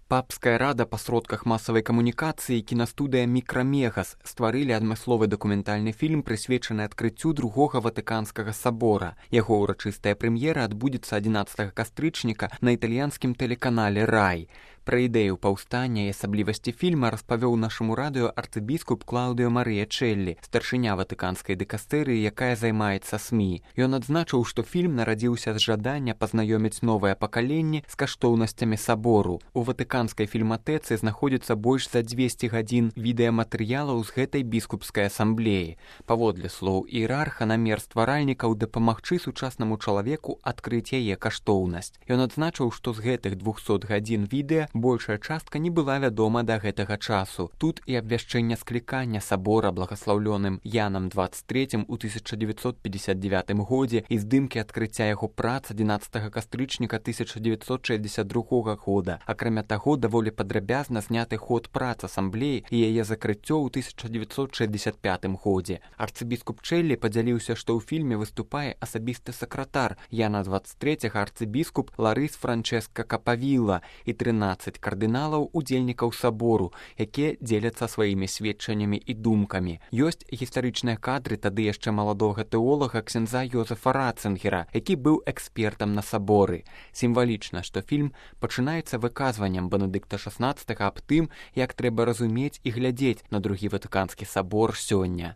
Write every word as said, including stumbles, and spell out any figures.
Папская рада па сродках масавай камунікацыі і кінастудыя «Мікрамегас» стварылі адмысловы дакументальны фільм, прысвечаны адкрыццю другога ватыканскага сабора. Яго ўрачыстая прэм'ера адбудзецца адзінаццатага кастрычніка на італьянскім тэлеканале «Рай». Пра ідэю паўстання і асаблівасці фільма распавёў нашаму радыё арцыбіскуп Клаўдыё Марыя Чэллі, старшыня ватыканскай дыкастэрыі, якая займаецца СМІ. Ён адзначыў, што фільм нарадзіўся з жадання пазнаёміць новае пакаленне з каштоўнасцямі сабору. У ватыканскай фільматэцы знаходзіцца больш за дзвесце гадзін відэаматэрыялаў з гэтай біскупскай асамблеі. Паводле слоў іерарха, намер стваральнікаў дапамагчы сучаснаму чалавеку адкрыць яе каштоўнасць. Ён адзначыў, што з гэтых двухсот гадзін відэа большая частка не была вядома да гэтага часу. Тут і абвяшчэнне склікання сабора благаслаўлёным Янам дваццаць трэцім у тысяча дзевяцьсот пятьдесят девятым годзе і здымкі адкрыцця яго прац адзінаццатага кастрычніка тысяча дзевяцьсот шэсцьдзесят другога года. Акрамя таго, даволі падрабязна зняты ход прац асамблеі і яе закрыццё ў тысяча дзевяцьсот шэсцьдесят пятым годзе. Арцыбіскуп Чэллі падзяліўся, што ў фільме выступае асабісты сакратар Яна дваццаць трэцяга арцыбіскуп Ларыс Франчэска Капавіла і трынаццаць кардыналаў удзельнікаў сабору, якія дзеляцца сваімі сведчаннямі і думкамі. Ёсць гістарычныя кадры тады яшчэ маладога тэолага ксяндза Йозефа Ратцынгера, які быў экспертам на саборы. Сімвалічна, што фільм пачынаецца выказваннем Бенедыкта шаснаццатага аб тым, як трэба разумець і глядзець на другі ватыканскі сабор сёння.